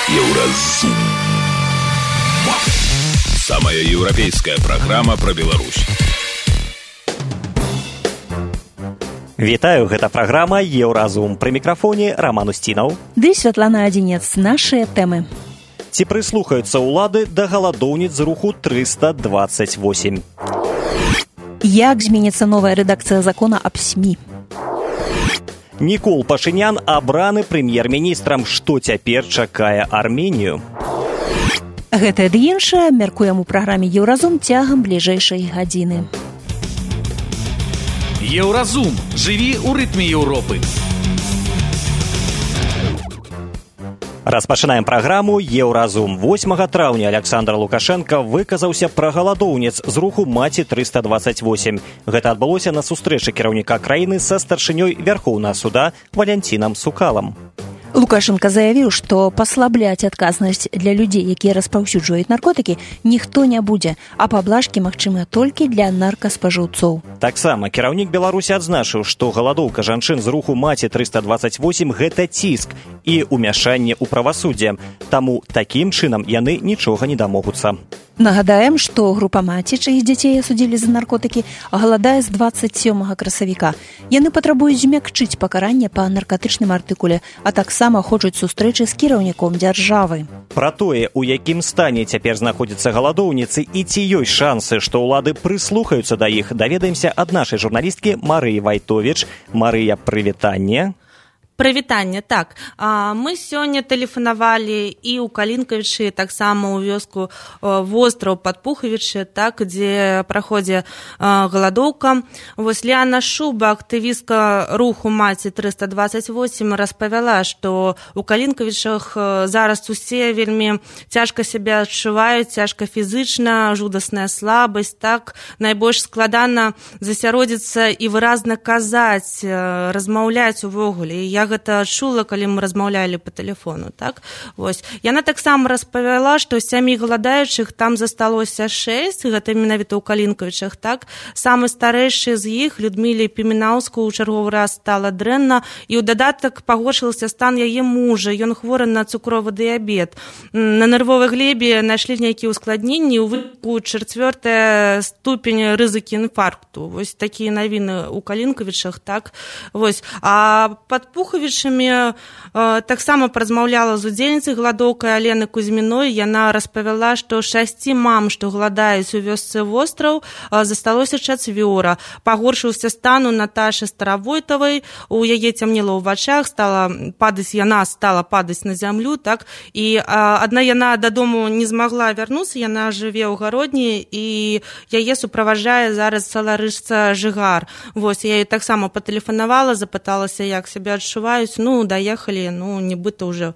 Еўразум. Самая еўрапейская праграма пра Беларусь. Вітаю, гэта праграма «Еўразум». Пры мікрафоне Роман Устінаў. Ды Святлана Адзінец. Нашыя тэмы. Ці прыслухаюцца ўлады да галадоўніц з руху 328? Як зменіцца новая рэдакцыя закона аб СМІ? Нікол Пашынян абраны прэм'ер-міністрам. Што цяпер чакае Арменію? Гэтае ды іншае мяркуем у праграме «Еўразум» цягам бліжэйшай гадзіны. Еўразум. Жыві ў рытме Еўропы. Распачынаем праграму «Еўразум». 8 траўня Александр Лукашенко выказаўся пра галадоўніц з руху «Маці-328». Гэта адбылося на сустрэчы кіраўніка краіны са старшынёй Вярхоўнага суда Валянцінам Сукалам. Лукашенко заявіў, што паслабляць адказнасць для людзей, якія распаўсюджваюць наркотыкі, ніхто не будзе, а паблажкі магчымыя толькі для наркаспажыўцоў. Таксама кіраўнік Беларусі адзначыў, што галадоўка жанчын з руху «Маці-328» – гэта ціск і ўмяшанне ў правасуддзе. Таму такім чынам яны нічога не дамогуцца. Нагадаем, што група «Маці», чыіх дзяцей асудзілі за наркотыкі, галадае з 27 красавіка. Яны патрабуюць змякчыць пакаранне па наркатычным артыкуле, а таксама хочуць сустрэчы з кіраўніком дзяржавы. Пра тое, у якім стане цяпер знаходзяцца галадоўніцы і ці ёсць шансы, што ўлады прыслухаюцца да іх, даведаемся ад нашай журналісткі Марыі Вайтовіч. Марыя, прывітанне. Прывітанне, так. Мы сёння тэлефанавалі і ў Калінкавічы, таксама ў вёску востраў пад Пухавічы, так, дзе праходзе галадоўка. Вось Ліана Шуба, актывістка руху «Маці-328», распавяла, што ў Калінкавічах зараз усе вельмі цяжка сябе адчуваюць, цяжка фізычна, жудасная слабасць, так, найбольш складана засяродзіцца і выразна казаць, размаўляць увогуле. Я гэта чула, калі мы размаўлялі па тэлефону, так? Вось. Яна таксама распавяла, што 7 галадаючых там засталося 6, гэта менавіта ў Калінкавічах, так? Самы старэйшы з іх, Людміле Пімінаўску, у чарговы раз стала дрэнна, і ў дадатак пагоршыўся стан яе мужа, ён хворы на цукровы дыябет. На нервовай глебе знайшлі нейкія ўскладненні, у выніку 4 ступень рызыкі інфаркту. Вось такія навіны ў Калінкавічах, так? Вось. А пад Пухавічамі таксама паразмаўляла з удзельніцай галадоўкай Алены Кузьміной. Яна распавяла, што 6 мам, што галадаюць у вёсцы востраў, засталося 4. Пагоршыўся стан у Наташы Старавойтавай, у яе цямнела ў вачах, яна стала падаць на зямлю, так, і адна яна дадому не змагла вярнуцца, яна жыве ў Гародні, і яе суправаджае зараз саларышца Жыгар. Вось, я ёй таксама патэлефанавала, запыталася, як сябе адчуваюць, даехалі, нібыта ўжо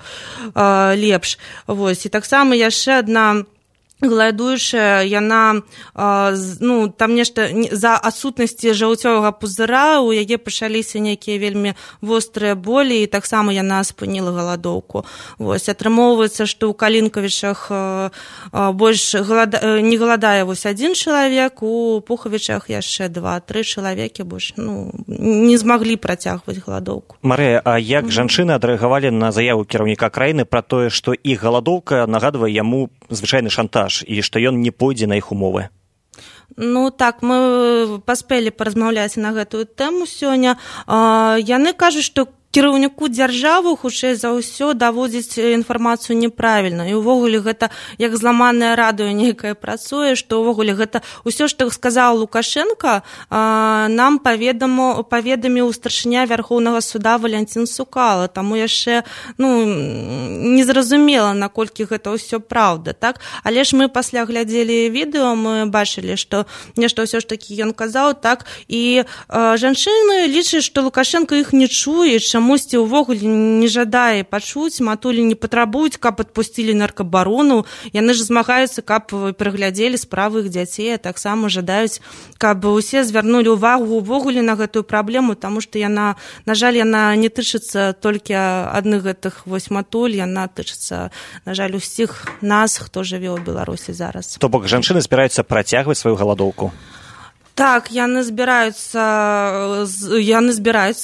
лепш. Вось, і таксама яшчэ адна галадуючая, яна, там нешта за адсутнасці жаўцёвага пузыра, у яе пачаліся нейкія вельмі вострыя болі, і таксама яна спыніла галадоўку. Вось, атрымоўваецца, што ў Калінкавічах больш не галадае вось 1 чалавек, у Пухавічах яшчэ 2-3 чалавекі больш, не змаглі працягваць галадоўку. Марыя, а як жанчыны адрэагавалі на заяву кіраўніка краіны пра тое, што іх галадоўка нагадвае яму звычайны шантаж, і што ён не пойдзе на іх умовы? Так, мы паспелі паразмаўляць на гэтую тэму сёння. Яны кажуць, што кіраўніку дзяржавы хутчэй за ўсё даводзіць інфармацыю неправільна. І ўвогуле гэта як зламанае радыё нейкае працуе, што ўвогуле гэта ўсё, што сказаў Лукашенко, нам паведаміў старшыня Вярхоўнага суда Валянцін Сукала. Таму яшчэ незразумела, наколькі гэта ўсё праўда, так? Але ж мы пасля глядзелі відэо, мы бачылі, што нешта ўсё ж такі ён казаў, так? І жанчыны лічаць, што Лукашенко іх не чуе, чамусьці ўвогуле не жадае пачуць, матулі не патрабуюць, каб адпусцілі наркабарону. Яны ж змагаюцца, каб пераглядзелі справы іх дзяцей, а таксама жадаюць, каб усе звярнулі ўвагу ўвогуле на гэтую праблему, таму што яна, на жаль, яна не тычыцца толькі адных гэтых вось матуль, яна тычыцца, на жаль, усіх нас, хто жыве ў Беларусі зараз. То бок жанчыны збіраюцца працягваць сваю галадоўку? Так, яны збіраюцца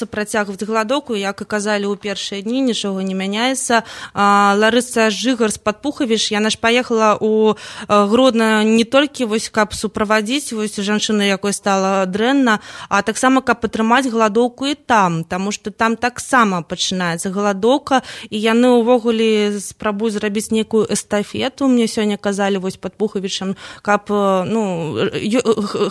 працягваць галадоўку, як і казалі ў першыя дні, нічога не мяняецца. Ларыса Жыгарс-Падпухавіч, яна ж паехала ў Гродно не толькі каб суправадзіць жанчыну, якой стала дрэнна, а таксама каб падтрымаць галадоўку і там, таму што там таксама пачынаецца галадоўка, і яны ўвогуле спрабуюць зрабіць нейкую эстафету. Мне сёння казалі Падпухавічам, каб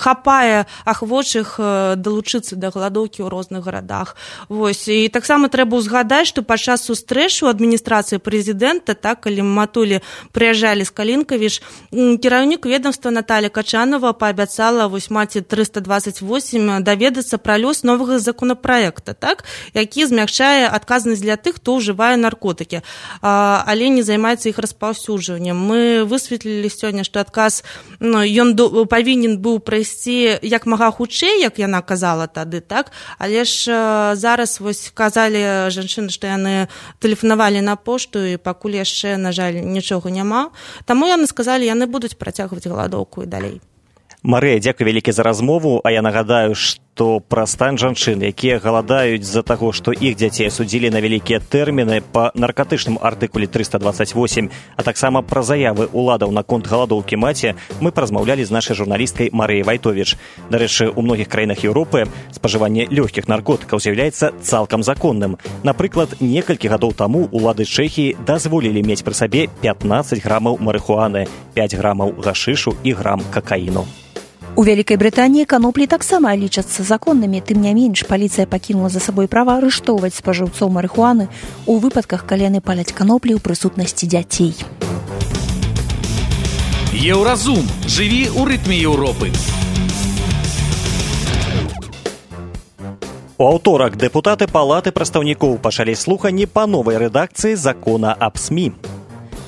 хапае ахвочых далучыцца да галадоўкі ў розных гарадах. І таксама трэба ўзгадаць, што падчас сустрэчы ў адміністрацыі прэзідэнта, калі Матулі прыязджалі з Калінкавіч, кіраўнік ведомства Наталья Качанова паабяцала маці 328 даведацца пра лёс новага законапраекта, які змякчае адказнасць для тых, хто ўжывае наркотыкі, але не займаецца іх распаўсюджваннем. Мы высветлілі сёння, што адказ ён павінен быў прайсці як мага хутчэй, як яна казала тады, але ж зараз казалі жанчыны, што яны тэлефанавалі на пошту, і пакуль яшчэ, на жаль, нічога няма. Таму яны сказалі, яны будуць працягваць галадоўку і далей. Марыя, дзякуй вялікі за размову, а я нагадаю, што пра стан жанчын, якія галадаюць з-за таго, што іх дзяцей асудзілі на вялікія тэрміны па наркатычным артыкуле 328, а таксама пра заявы ўладаў наконт галадоўкі маці, мы паразмаўлялі з нашай журналісткай Марыяй Вайтовіч. Дарэчы, у многіх краінах Еўропы спажыванне лёгкіх наркотыкаў з'яўляецца цалкам законным. Напрыклад, некалькі гадоў таму улады Чэхіі дазволілі мець пры сабе 15 грамаў марыхуаны, 5 грамаў гашышу і грам какаіну. У Вялікай Брытаніі каноплі таксама лічацца законнымі, тым не менш паліцыя пакінула за сабой права арыштоўваць спажыўцоў марыхуаны у выпадках, калі яны паляць каноплі ў прысутнасці дзяцей. Еўразум. Жыві ў рытме Еўропы. У аўторак дэпутаты Палаты прадстаўнікоў пачалі слуханні па новай рэдакцыі закона аб СМІ.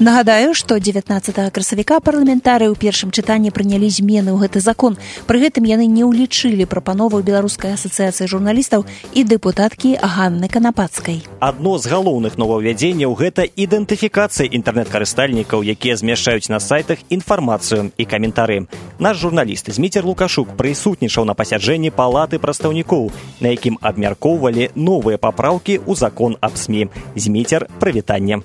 Нагадаю, што 19 красавіка парламентарыі ў першым чытанні прынялі змены ў гэты закон. Пры гэтым яны не ўлічылі прапанову Беларускай асацыяцыі журналістаў і дэпутаткі Ганны Канапацкай. Адно з галоўных новаўвядзенняў – гэта ідэнтыфікацыя інтэрнэт-карыстальнікаў, якія змяшчаюць на сайтах інфармацыю і каментары. Наш журналіст Зміцер Лукашук прысутнічаў на пасяджэнні Палаты прадстаўнікоў, на якім абмяркоўвалі новыя папраўкі ў закон аб СМІ. Зміцер, прывітанне.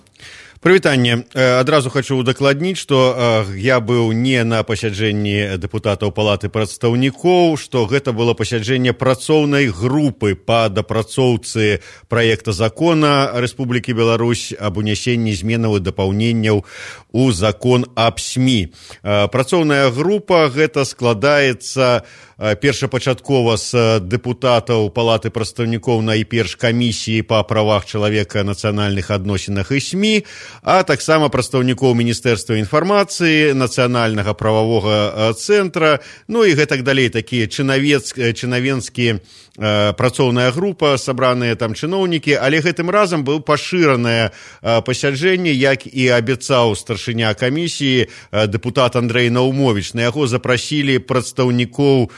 Прывітанне. Адразу хочу удакладніць, што я быў не на пасяджэнні дэпутатаў Палаты прадстаўнікоў, што гэта было пасяджэнне працоўнай групы па дапрацоўцы праекта закона Рэспублікі Беларусь аб унясенні зменаў і дапаўненняў у закон аб СМІ. Працоўная група гэта складаецца першапачаткова з дэпутатаў Палаты прадстаўнікоў найперш камісіі па правах чалавека, нацыянальных адносінах і СМІ, а таксама прадстаўнікоў Міністэрства інфармацыі, нацыянальнага прававога цэнтра, ну і гэтак далей, такія чынавенскія працоўная група, сабраныя там чыноўнікі, але гэтым разам быў пашыранае пасяджэнне, як і абяцаў старшыня камісіі дэпутат Андрэй Наумовіч. На яго запрасілі прадстаўнікоў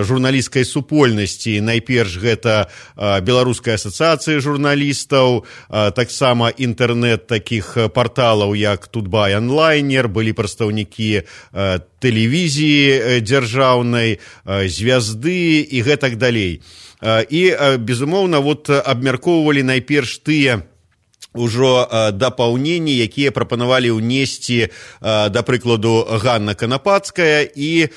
журналісцкай супольнасці. Найперш гэта Беларуская асацыяцыя журналістаў, таксама інтэрнэт такіх парталаў, як Тутбай онлайнер, былі прадстаўнікі тэлевізіі дзяржаўнай, звязды і гэтак далей. І, безумоўна, абмяркоўвалі найперш тыя ўжо дапаўненні, якія прапанавалі ўнесці, да прыкладу, Ганна Канапацкая і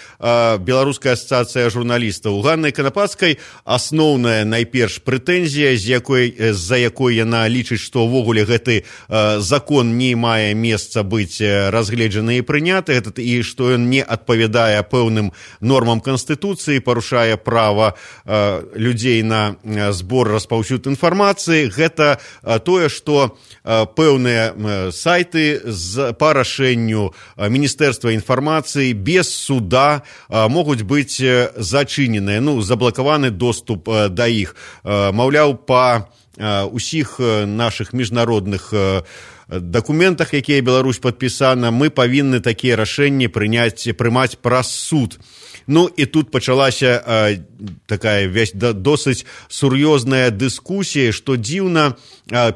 Беларуская асацыяцыя журналістаў. У Ганны Канапацкай асноўная найперш прэтэнзія, з-за якой яна лічыць, што ўвогуле гэты закон не мае месца быць разгледжаны і прыняты, і што ён не адпавядае пэўным нормам Канстытуцыі, парушае права людзей на збор, распаўсюд інфармацыі. Гэта тое, што пэўныя сайты па рашэнню Міністэрства інфармацыі без суда могуць быць зачыненыя, заблакаваны доступ да іх. Маўляў, па ўсіх нашых міжнародных дакументах, якія Беларусь падпісана, мы павінны такія рашэнні прымаць праз суд. І тут пачалася такая досыць сур'ёзная дыскусія, што дзіўна,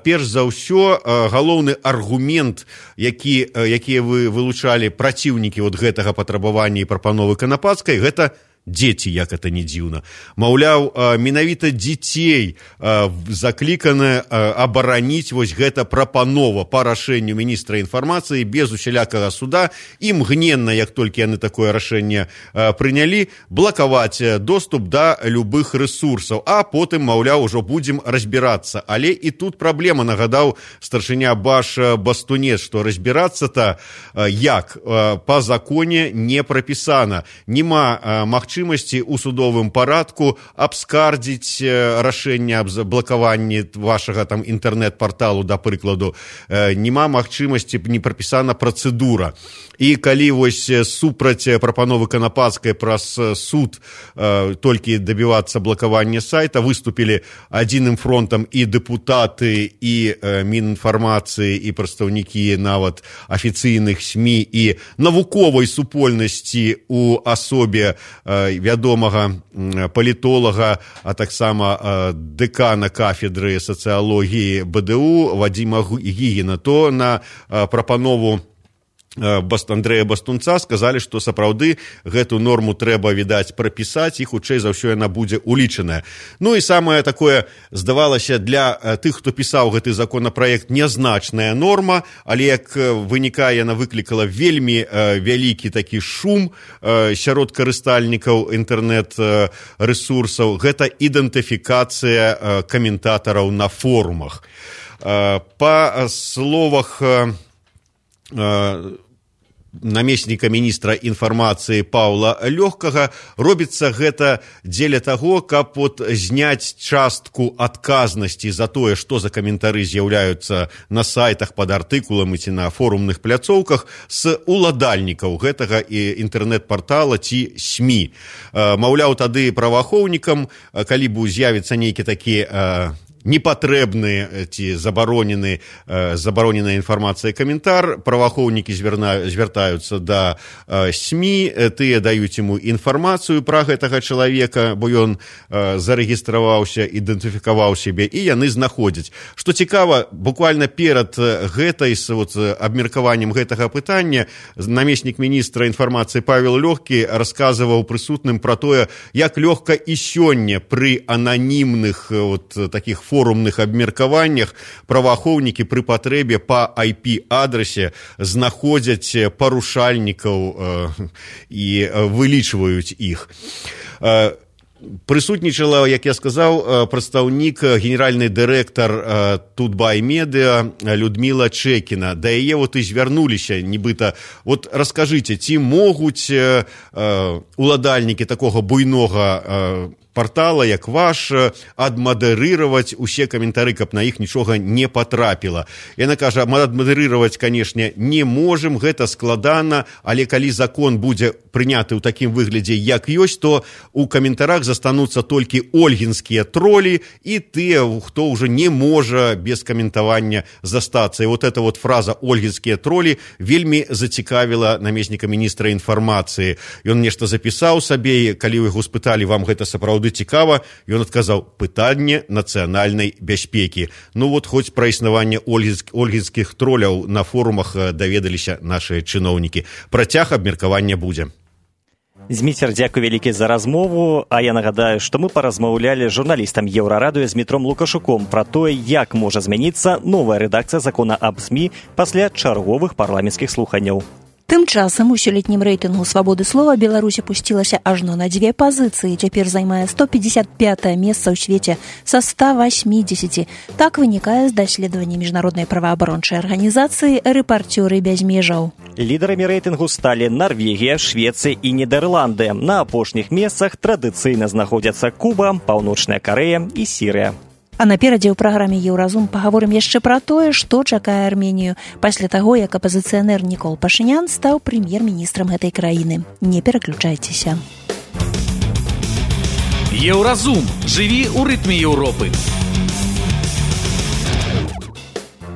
перш за ўсё, галоўны аргумент, якія вы вылучалі праціўнікі гэтага патрабавання і прапановы Канапацкай, гэта дзеці, як это не дзіўна. Маўляў, менавіта дзяцей заклікана абараніць вось гэта прапанова па рашэнню міністра інфармацыі без усялякага суда і мгненна, як толькі яны такое рашэнне прынялі, блакаваць доступ да любых рэсурсаў, а потым, маўляў, ужо будзем разбірацца. Але і тут праблема, нагадаў старшыня Баш Бастунец, што разбірацца-то як? Па законе не прапісана. Нема магчымасці у судовым парадку абскардзіць рашэнне аб заблакаванні вашага там інтэрнэт-парталу, да прыкладу. Нема магчымасці, не прапісана працэдура. І калі вось супраць прапановы Канапацкай праз суд толькі дабівацца блакавання сайта, выступілі адзіным фронтам і дэпутаты, і Мінінфармацыі, і прадстаўнікі нават афіцыйных СМІ, і навуковай супольнасці у асобе вядомага палітолага, а таксама дэкана кафедры сацыялогіі БДУ Вадзіма Гігіна, то на прапанову Андрэя Бастунца сказалі, што сапраўды гэту норму трэба, відаць, прапісаць, і хутчэй за ўсё яна будзе улічаная. Ну і самае такое, здавалася, для тых, хто пісаў гэты законапраект, нязначная норма, але як вынікае, яна выклікала вельмі вялікі такі шум сярод карыстальнікаў інтэрнэт-рэсурсаў. Гэта ідэнтыфікацыя каментатараў на форумах. Па словах намесніка міністра інфармацыі Паўла Лёгкага, робіцца гэта дзеля таго, каб зняць частку адказнасці за тое, што за каментары з'яўляюцца на сайтах пад артыкуламі ці на форумных пляцоўках, з уладальнікаў гэтага інтэрнэт-партала ці СМІ. Маўляў, тады праваахоўнікам, калі б з'явіцца нейкі такі непатрэбны ці забароненая інфармацыя каментар, праваахоўнікі звяртаюцца да СМІ, тыя даюць яму інфармацыю пра гэтага чалавека, бо ён зарэгістраваўся, ідэнтыфікаваў сябе, і яны знаходзяць. Што цікава, буквально перад гэтай абмеркаваннем гэтага пытання намеснік міністра інфармацыі Павел Лёгкі расказваў прысутным пра тое, як лёгка і сёння пры ананімных такіх форумных абмеркаваннях праваахоўнікі пры патрэбе па IP-адрасе знаходзяць парушальнікаў і вылічваюць іх. Прысутнічала, як я сказаў, прадстаўнік, генеральны дырэктар Тутбай Медыа Людміла Чэкіна. Да яе і звярнуліся, нібыта. Раскажыце, ці могуць уладальнікі такога буйнога партала, як ваш, адмадэрыраваць усе каментары, каб на іх нічога не патрапіла. Яна кажа, адмадэрыраваць, канешне, не можам, гэта складана, але калі закон будзе прыняты ў такім выглядзе, як ёсць, то у каментарах застануцца толькі ольгінскія тролі і тыя, хто ўжо не можа без каментавання застацца. І эта фраза «ольгінскія тролі» вельмі зацікавіла намесніка міністра інфармацыі. Ён нешта запісаў сабе, калі яго спыталі, вам гэта сапраўды цікава, ён адказаў, пытанне нацыянальнай бяспекі. Хоць пра існаванне ольгінскіх троляў на форумах даведаліся нашыя чыноўнікі. Працяг абмеркавання будзе. Зміцер, дзякуй вялікі за размову, а я нагадаю, што мы паразмаўлялі з журналістам Еўрарадыё Змітром Лукашуком пра тое, як можа змяніцца новая рэдакцыя закона аб СМІ пасля чарговых парламенцкіх слуханняў. Тым часам у сёлетнім рэйтынгу свабоды слова Беларусь апусцілася ажно на 2 пазіцыі, цяпер займае 155-е месца ў свеце са 180. Так вынікае з даследавання міжнароднай праваабарончай арганізацыі «Рэпарцёры без межаў». Лідарамі рэйтынгу сталі Нарвегія, Швецыя і Нідерланды. На апошніх месцах традыцыйна знаходзяцца Куба, Паўночная Карэя і Сірыя. А наперадзе ў праграме «Еўразум» пагаворым яшчэ пра тое, што чакае Арменію пасля таго, як апазіцыянер Нікол Пашынян стаў прэм'ер-міністрам гэтай краіны. Не пераключайцеся. Еўразум. Жыві ў рытме Еўропы.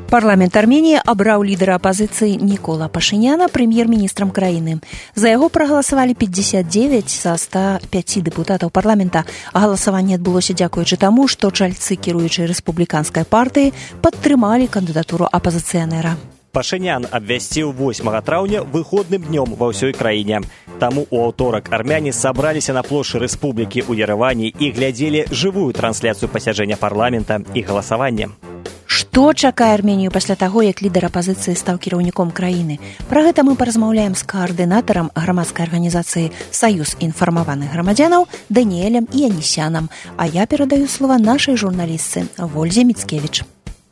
Парламент Арменіі абраў лідара апазіцыі Нікола Пашыняна прэм'ер-міністрам краіны. За яго прагаласавалі 59 са 105 дэпутатаў парламента. А галасаванне адбылося дзякуючы таму, што чальцы кіруючай рэспубліканскай партыі падтрымалі кандыдатуру апазіцыянера. Пашынян абвясціў 8 траўня выходным днём ва ўсёй краіне. таму у аўторак армяне сабраліся на плошчы рэспублікі ў Ерэвані і глядзелі жывую трансляцыю пасяджэння парламента і галасавання. Што чакае Арменію пасля таго, як лідар апазіцыі стаў кіраўніком краіны? Пра гэта мы паразмаўляем з каардынатарам грамадскай арганізацыі «Саюз інфармаваных грамадзянаў» Даніэлем Янісянам. А я перадаю слова нашай журналістцы Вользе Мицкевич.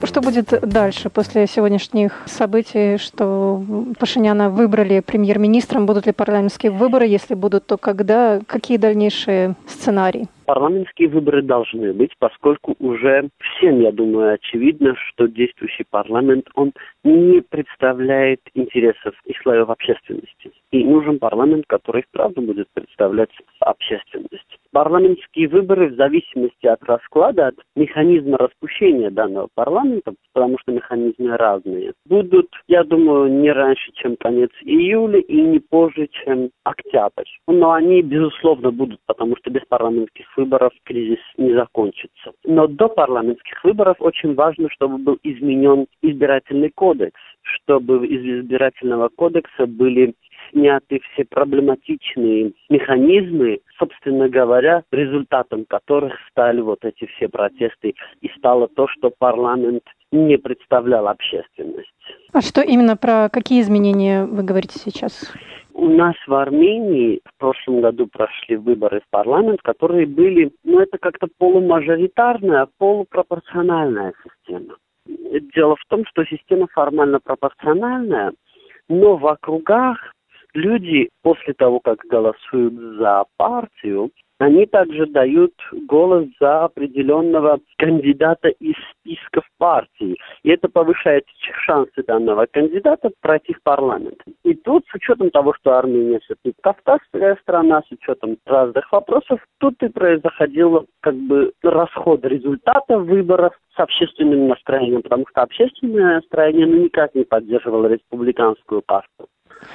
Что будет дальше после сегодняшних событий, что Пашиняна выбрали премьер-министром? Будут ли парламентские выборы? Если будут, то когда? Какие дальнейшие сценарии? Парламентские выборы должны быть, поскольку уже всем, я думаю, очевидно, что действующий парламент, он не представляет интересов и слоев общественности. И нужен парламент, который вправду будет представлять общественность. Парламентские выборы в зависимости от расклада, от механизма распущения данного парламента, потому что механизмы разные, будут, я думаю, не раньше, чем конец июля и не позже, чем октябрь. Но они, безусловно, будут, потому что без парламентских выборов кризис не закончится. Но до парламентских выборов очень важно, чтобы был изменен избирательный кодекс, чтобы из избирательного кодекса были сняты все проблематичные механизмы, собственно говоря, результатом которых стали вот эти все протесты и стало то, что парламент не представлял общественность. А что именно, про какие изменения вы говорите сейчас? У нас в Армении в прошлом году прошли выборы в парламент, которые были, это как-то полумажоритарная, полупропорциональная система. Дело в том, что система формально пропорциональная, но в округах люди после того, как голосуют за партию, они также дают голос за определенного кандидата из списков партии. И это повышает шансы данного кандидата пройти в парламент. И тут, с учетом того, что Армения все-таки кавказская страна, с учетом разных вопросов, тут и происходил расход результата выборов с общественным настроением, потому что общественное настроение никак не поддерживало республиканскую партию.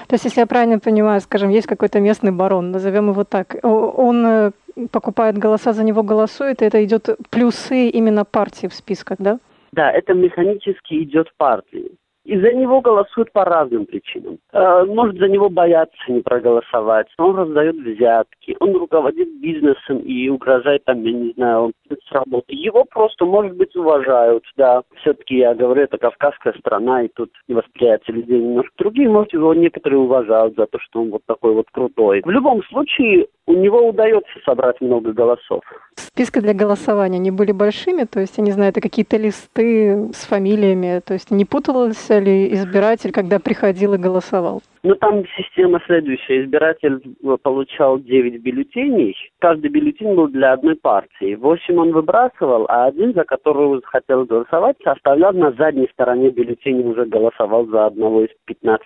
То есть, если я правильно понимаю, скажем, есть какой-то местный барон, назовем его так, он покупает голоса, за него голосует, и это идет плюсы именно партии в списках, да? Да, это механически идет партии. И за него голосуют по разным причинам. Может, за него боятся не проголосовать. Он раздает взятки, он руководит бизнесом и угрожает с работы. Его просто, может быть, уважают, да. Все-таки, я говорю, это кавказская страна, и тут восприятие людей немножко другие. Может, его некоторые уважают за то, что он вот такой вот крутой. В любом случае, у него удается собрать много голосов. Списки для голосования, они были большими? То есть, я не знаю, это какие-то листы с фамилиями? То есть, не путался ли избиратель, когда приходил и голосовал? Там система следующая. Избиратель получал 9 бюллетеней. Каждый бюллетень был для одной партии. 8 он выбрасывал, а один, за которого хотел голосовать, оставлял на задней стороне бюллетеня, уже голосовал за одного из 15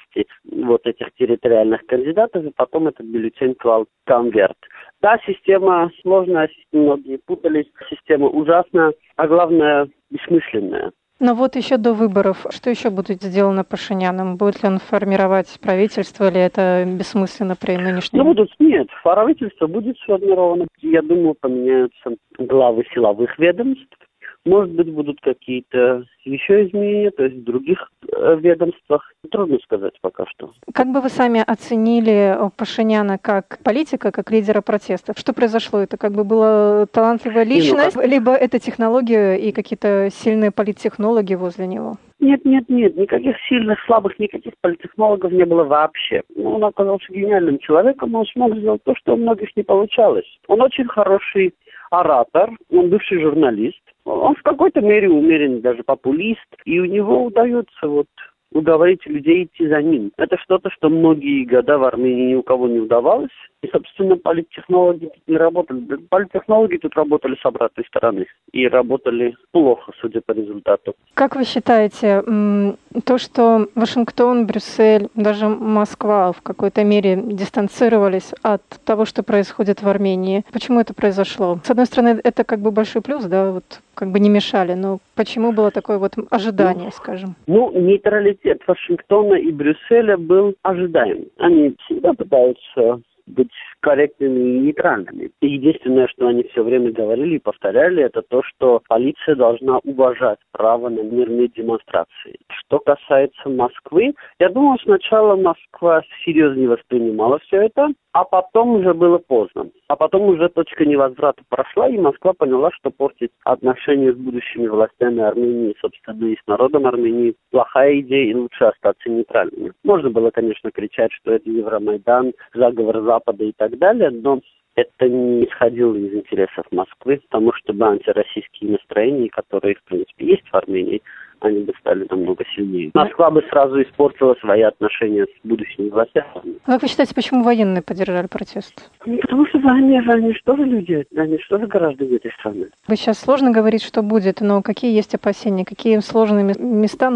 вот этих территориальных кандидатов, и потом этот бюллетень клал в конверт. Да, система сложная, многие путались, система ужасная, а главное, бессмысленная. Но вот еще до выборов, что еще будет сделано Пашиняном? Будет ли он формировать правительство, или это бессмысленно при нынешнем? Нет, правительство будет сформировано. Я думаю, поменяются главы силовых ведомств. Может быть, будут какие-то еще изменения, то есть в других ведомствах. Трудно сказать пока что. Как бы вы сами оценили Пашиняна как политика, как лидера протестов? Что произошло? Это была талантливая личность, либо это технология и какие-то сильные политтехнологи возле него? Нет. Никаких сильных, слабых, никаких политтехнологов не было вообще. Он оказался гениальным человеком, он смог сделать то, что у многих не получалось. Он очень хороший оратор, он бывший журналист. Он в какой-то мере умеренный даже популист, и у него удается уговорить людей идти за ним. Это что-то, что многие года в Армении ни у кого не удавалось. И, собственно, политтехнологи тут не работали. Политтехнологи тут работали с обратной стороны. И работали плохо, судя по результату. Как вы считаете, то, что Вашингтон, Брюссель, даже Москва в какой-то мере дистанцировались от того, что происходит в Армении, почему это произошло? С одной стороны, это большой плюс, да, не мешали, но почему было такое ожидание, скажем? Нейтралитет Вашингтона и Брюсселя был ожидаем. Они всегда пытаются быть корректными и нейтральными. И единственное, что они все время говорили и повторяли, это то, что полиция должна уважать право на мирные демонстрации. Что касается Москвы, я думаю, сначала Москва серьезно не воспринимала все это, а потом уже было поздно. А потом уже точка невозврата прошла, и Москва поняла, что портить отношения с будущими властями Армении, собственно, и с народом Армении плохая идея, и лучше остаться нейтральными. Можно было, конечно, кричать, что это Евромайдан, заговор Запада и так далее, но это не исходило из интересов Москвы, потому что антироссийские настроения, которые, в принципе, есть в Армении, они бы стали намного сильнее. Москва бы сразу испортила свои отношения с будущими властями. А как вы считаете, почему военные поддержали протест? Потому что они же тоже люди, они же тоже граждане этой страны. Вы сейчас сложно говорить, что будет, но какие есть опасения, какие сложные места,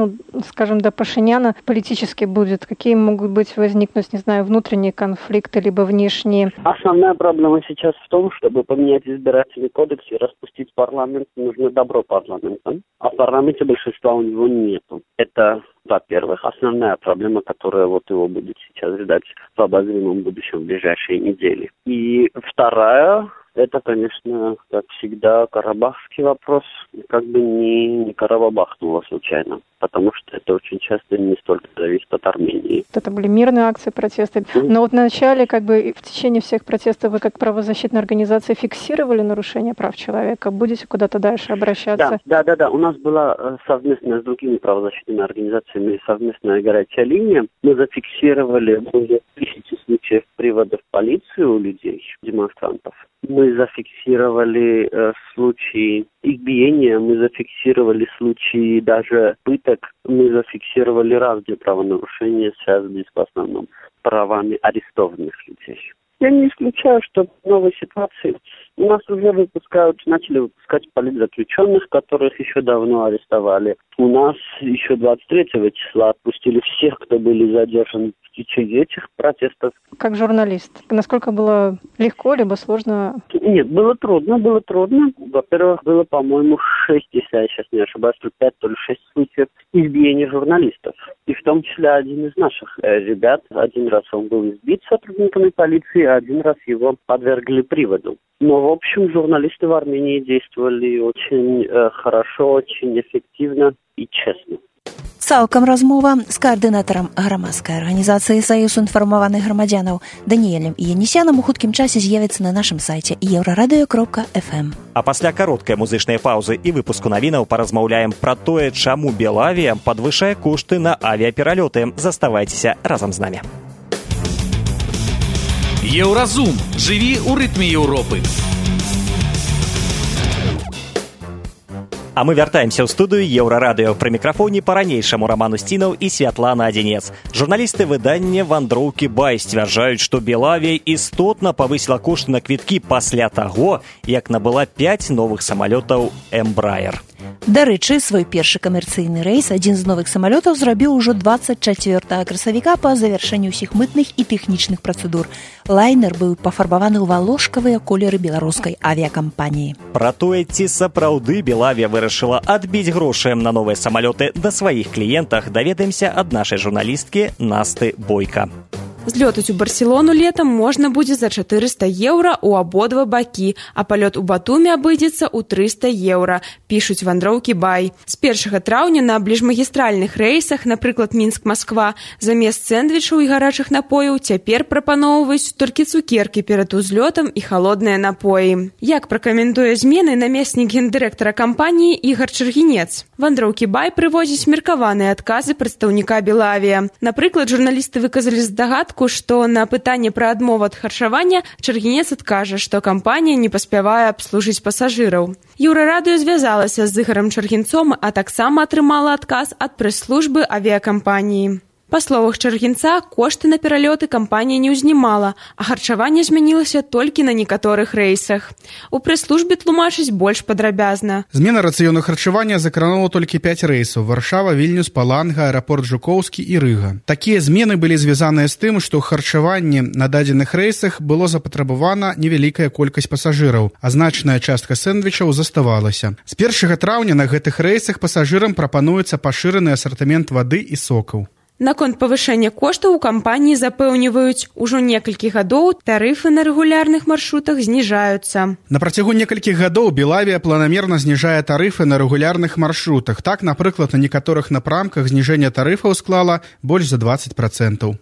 скажем, до Пашиняна политически будет, какие могут быть возникнуть, не знаю, внутренние конфликты, либо внешние? Основная проблема сейчас в том, чтобы поменять избирательный кодекс и распустить парламент, нужно добро парламента, а в парламенте большинства у него нету. Это, во-первых, основная проблема, которая его будет сейчас ждать в обозримом будущем в ближайшие недели. И вторая, это, конечно, как всегда, карабахский вопрос. Как бы не карабахнуло случайно, потому что это очень часто не столько зависит от Армении. Это были мирные акции протеста. Но в начале, в течение всех протестов, вы как правозащитная организация фиксировали нарушение прав человека? Будете куда-то дальше обращаться? Да. У нас была совместная с другими правозащитными организациями совместная горячая линия. Мы зафиксировали более 1000 случаев привода в полицию у людей, демонстрантов. Мы зафиксировали случаи избиения, мы зафиксировали случаи даже пыток, мы зафиксировали разные правонарушения, связанные в основном с правами арестованных людей. Я не исключаю, что в новой ситуации у нас уже начали выпускать политзаключенных, которых еще давно арестовали. У нас еще 23 числа отпустили всех, кто были задержаны в течение этих протестов. Как журналист, насколько было легко, либо сложно? Нет, было трудно. Во-первых, было, по-моему, 6, если я сейчас не ошибаюсь, то 5, то ли 6 случаев избиения журналистов. И в том числе один из наших ребят. Один раз он был избит сотрудниками полиции, а один раз его подвергли приводу. Но, в общем, журналисты в Армении действовали очень хорошо, очень эффективно и честно. Цалкам размова з каардынатарам грамадскай арганізацыі «Саюз інфармаваных грамадзянаў» Даніэлем Янісянам у хуткім часе з'явіцца на нашым сайце еўрарадыё.фм. А пасля кароткай музычнай паўзы і выпуску навінаў паразмаўляем пра тое, чаму Белавія падвышае кошты на авіапералёты. Заставайцеся разам з намі. Еўразум. Жыві ў рытме Еўропы. А мы вяртаемся ў студыю Еўрарадыё. Пры мікрафоне па-ранейшаму Роман Устінаў і Святлана Адзінец. Журналісты выдання «Вандроўкі Бай» сцвярджаюць, што Белавія істотна павысіла кошты на квіткі пасля таго, як набыла 5 новых самалётаў «Эмбраер». Дарэчы, свой першы камерцыйны рэйс адзін з новых самалётаў зрабіў ужо 24 красавіка па завяршэнні ўсіх мытных і тэхнічных працэдур. Лайнер быў пафарбаваны ў валошкавыя колеры беларускай авіякампаніі. Пра тое, ці сапраўды Белавія вырашыла адбіць грошы на новыя самалёты да сваіх кліентах, даведаемся ад нашай журналісткі Насты Бойка. Злётаць у Барселону летом можна будзе за 400 еўра ў абодва бакі, а палёт у Батуме абыдзецца ў 300 еўра, пішуць «Вандроўкі Бай». З 1 траўня на бліжмагістральных рэйсах, напрыклад, Мінск-Масква, замест сэндвічаў і гарачых напояў цяпер прапаноўваюць толькі цукеркі перад узлётам і халодныя напоі. Як пракаментуе змены намеснік гендырэктара кампаніі Ігар Чаргінец? «Вандроўкі Бай» прывозіць меркаваныя адказы прадстаўніка Белавія. Напрыклад, журналісты выказалі здагадку, што на пытанне пра адмову ад харчавання Чаргінец адкажа, што кампанія не паспявае абслужыць пасажыраў. Еўрарадыё звязалася з Ігарам Чаргінцом, а таксама атрымала адказ ад прэс-службы авіякампаніі. Па словах Чаргінца, кошты на пералёты кампанія не ўзнімала, а харчаванне змянілася толькі на некаторых рэйсах. У прэс-службе тлумачыць больш падрабязна. Змена рацыёну харчавання закранула толькі 5 рэйсаў: Варшава, Вільнюс, Паланга, аэрапорт Жукоўскі і Рыга. Такія змены былі звязаныя з тым, што ў харчаванні на дадзеных рэйсах было запатрабавана невялікая колькасць пасажыраў, а значная частка сэндвічаў заставалася. З 1 траўня на гэтых рэйсах пасажырам прапануецца пашыраны асартымент вады і сокаў. Наконт павышэння коштаў у кампаніі запэўніваюць, ужо некалькі гадоў тарыфы на рэгулярных маршрутах зніжаюцца. На працягу некалькіх гадоў Белавія планамерна зніжае тарыфы на рэгулярных маршрутах. Так, напрыклад, на некаторых напрамках зніжэнне тарыфаў склала больш за 20%.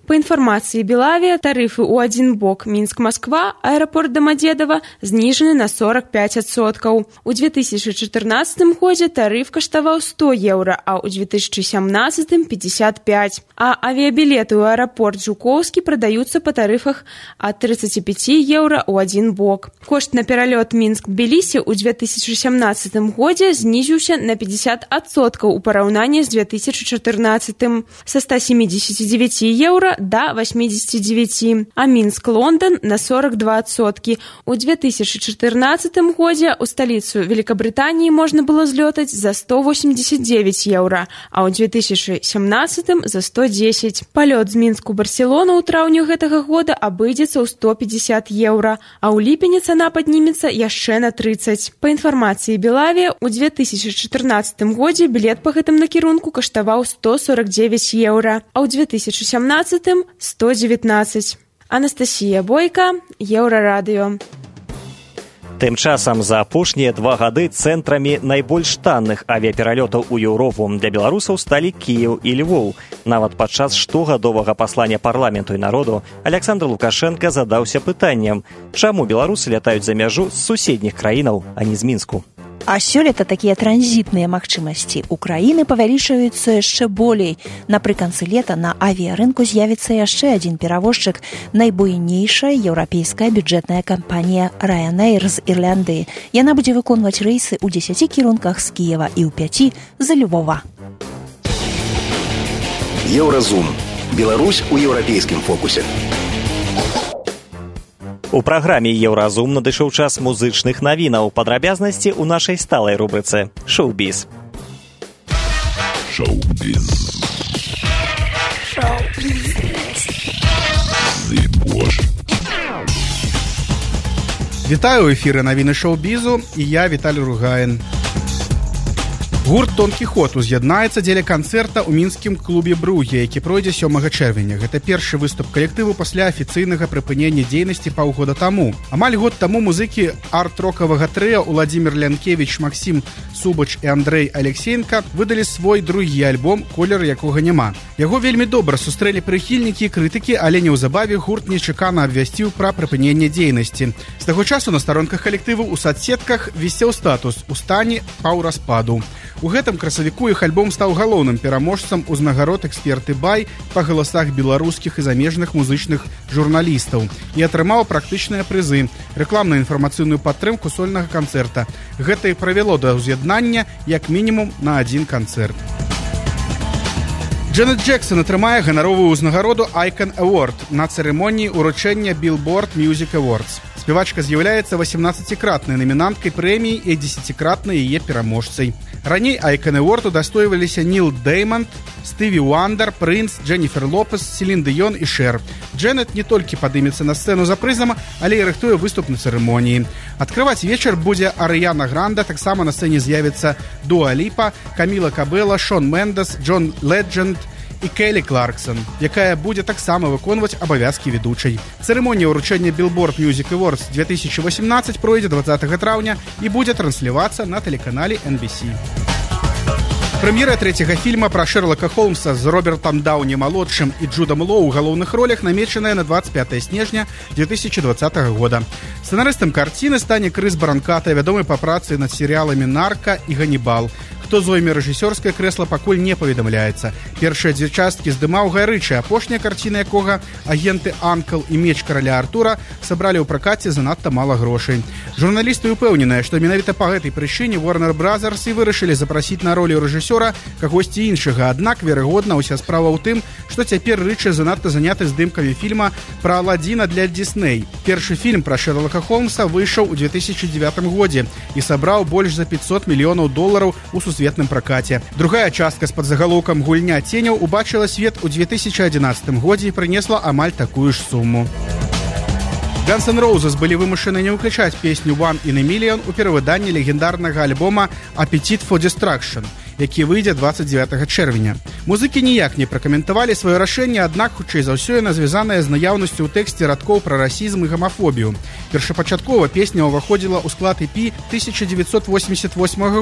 Па інфармацыі Белавія, тарыфы ў адзін бок Мінск-Масква, аэрапорт Домодедово зніжаны на 45%. У 2014 годзе тарыф каштаваў 100 еўра, а ў 2017 – 55. А авіябілеты ў аэрапорт Жукоўскі прадаюцца па тарыфах ад 35 еўра ў адзін бок. Кошт на пералёт Мінск-Тбілісі ў 2017 годзе знізіўся на 50% у параўнанні з 2014 са 179 еўра да 89, а Мінск-Лондон на 42%. У 2014 годзе ў сталіцу Великабрытаніі можна было злётаць за 189 еўра, а ў 2017 за 110. Палёт з Мінску Барселону ў траўню гэтага года абыдзецца ў 150 еўра, а ў ліпені цана паднімецца яшчэ на 30. Па інфармацыі Белавія, у 2014 годзе білет па гэтым накірунку каштаваў 149 еўра, а ў 2017 – 119. Анастасія Бойка, Еўрарадыё. Тым часам за апошнія 2 гады цэнтрамі найбольш танных авіяпералётаў у Еўропу для беларусаў сталі Кіеў і Львоў. Нават падчас штогадовага паслання парламенту і народу Александр Лукашенко задаўся пытаннем, чаму беларусы лятаюць за мяжу з суседніх краінаў, а не з Мінску. А сёлета такія транзітныя магчымасці Украіны павялічваюцца яшчэ болей. Напрыканцы лета на авіярынку з'явіцца яшчэ адзін перавозчык, найбуйнейшая еўрапейская бюджэтная кампанія Ryanair з Ірландыі. Яна будзе выконваць рэйсы ў 10 кірунках з Кіева і ў 5 з Львова. Еўразум. Беларусь у еўрапейскім фокусе. У праграме «Еўразум» надышоў час музычных навінаў. Падрабязнасці ў нашай сталай рубрыцы «Шоу-біз». Шоу-біз. Шоу-біз. Вітаю ў эфіры навіны шоу-бізу, і я Віталій Ругаін. Гурт «Тонкі ход» уз'яднаецца дзеля канцэрта ў мінскім клубе «Бругі», які пройдзе 7 чэрвеня. Гэта першы выступ калектыву пасля афіцыйнага прыпынення дзейнасці паўгода таму. Амаль год таму музыкі арт-рокавага трыа Уладзімір Лянкевіч, Максім Субач і Андрэй Алексеенка выдалі свой другі альбом «Колер, якога няма». Яго вельмі добра сустрэлі прыхільнікі і крытыкі, але неўзабаве гурт нечакана абвясціў пра прыпыненне дзейнасці. З таго часу на старонках калектыву ў садсетках вісеў статус «У стане паўраспаду». У гэтым красавіку іх альбом стаў галоўным пераможцам узнагарод эксперты «Бай» па галасах беларускіх і замежных музычных журналістаў і атрымаў практычныя прызы, рэкламную інфармацыйную падтрымку сольнага канцэрта. Гэта і правяло да ўз'яднання як мінімум на адзін канцэрт. Джанет Джексон атрымае ганаровую ўзнагароду Icon Award на цырымоніі ўручэння Billboard Music Awards. Спевачка з'яўляецца 18-кратнай намінанткай прэміі і 10-кратнай яе пераможцай. Раней Icon Award удастойваліся Ніл Дэймонд, Стыві Уандер, Прынц, Дженніфер Лопес, Селін Дыён і Шэр. Джанет не толькі падымецца на сцэну за прызам, але і рыхтуе выступ на цырымоніі. Адкрываць вечар будзе Арыяна Гранда, таксама на сцэне з'явіцца Дуа Ліпа, Каміла Кабэла, Шон Мендес, Джон Ледженд і Келі Кларксон, якая будзе таксама выконваць абавязкі ведучай. Цырымонія ўручэння Billboard Music Awards 2018 пройдзе 20 траўня і будзе транслявацца на тэлеканале NBC. Прэм'ера трэцяга фільма пра Шэрлока Холмса з Робертам Даўні-малодшым і Джудам Лоу у галоўных ролях намечаная на 25 снежня 2020 года. Сцэнарыстам карціны стане Крыс Баранката, вядомы па працы над серыяламі «Нарка» і «Ганнібал». Хто зойме рэжысёрскае крэсла, пакуль не паведамляецца. Першыя 2 часткі здымаў Гай Рычы, апошняя карціна якога «Агенты Анкл» і «Меч караля Артура» сабралі ў пракаце занадта мала грошай. Журналісты ўпэўненыя, што менавіта па гэтай прычыне Warner Brothers і вырашылі запрасіць на ролю рэжысёра кагосьці іншага. Аднак, верагодна, уся справа ў тым, што цяпер Рычы занадта заняты здымкамі фільма пра Аладзіна для Disney. Першы фільм пра Шэрлока Холмса выйшаў у 2009 годзе і сабраў больш за $500 мільёнаў у сусветным пракаце. Другая частка з падзагалоўкам «Гульня ценяў» убачыла свет у 2011 годзе і прынесла амаль такую ж суму. Guns N' Roses былі вымушаны не ўключаць песню «One in a Million» у перавыданні легендарнага альбома «Appetite for Destruction». які выйдзе 29 чэрвеня. Музыкі ніяк не пракаментавалі сваё рашэнне, аднак хутчэй за ўсё яна звязаная з наяўнасцю ў тэксце радкоў пра расізм і гамафобію. Першапачаткова песня ўваходзіла ў склад EP 1988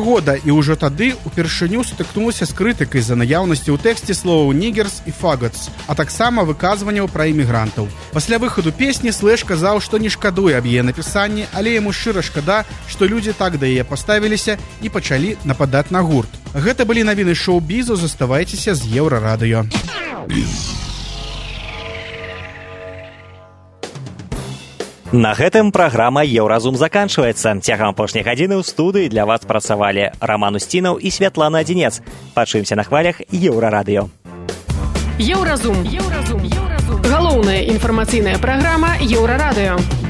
года і ўжо тады упершыню сутыкнулася з крытыкай за наяўнасці ў тэксце словаў «нігерс» і «фаготс», а таксама выказванняў пра імігрантаў. Пасля выхаду песні Слэш казаў, што не шкадуе аб яе напісанні, але яму шчыра шкада, што людзі так да яе паставіліся і пачалі нападаць на гурт. Гэта былі навіны шоу-бізу, заставайцеся з Еўрарадыё. На гэтым праграма «Еўразум» заканчваецца. Цягам апошняй гадзіны ў студыі для вас працавалі Раман Устінаў і Святлана Адзінец. Пачуемся на хвалях Еўрарадыё. Еўразум. Галоўная інфармацыйная праграма Еўрарадыё.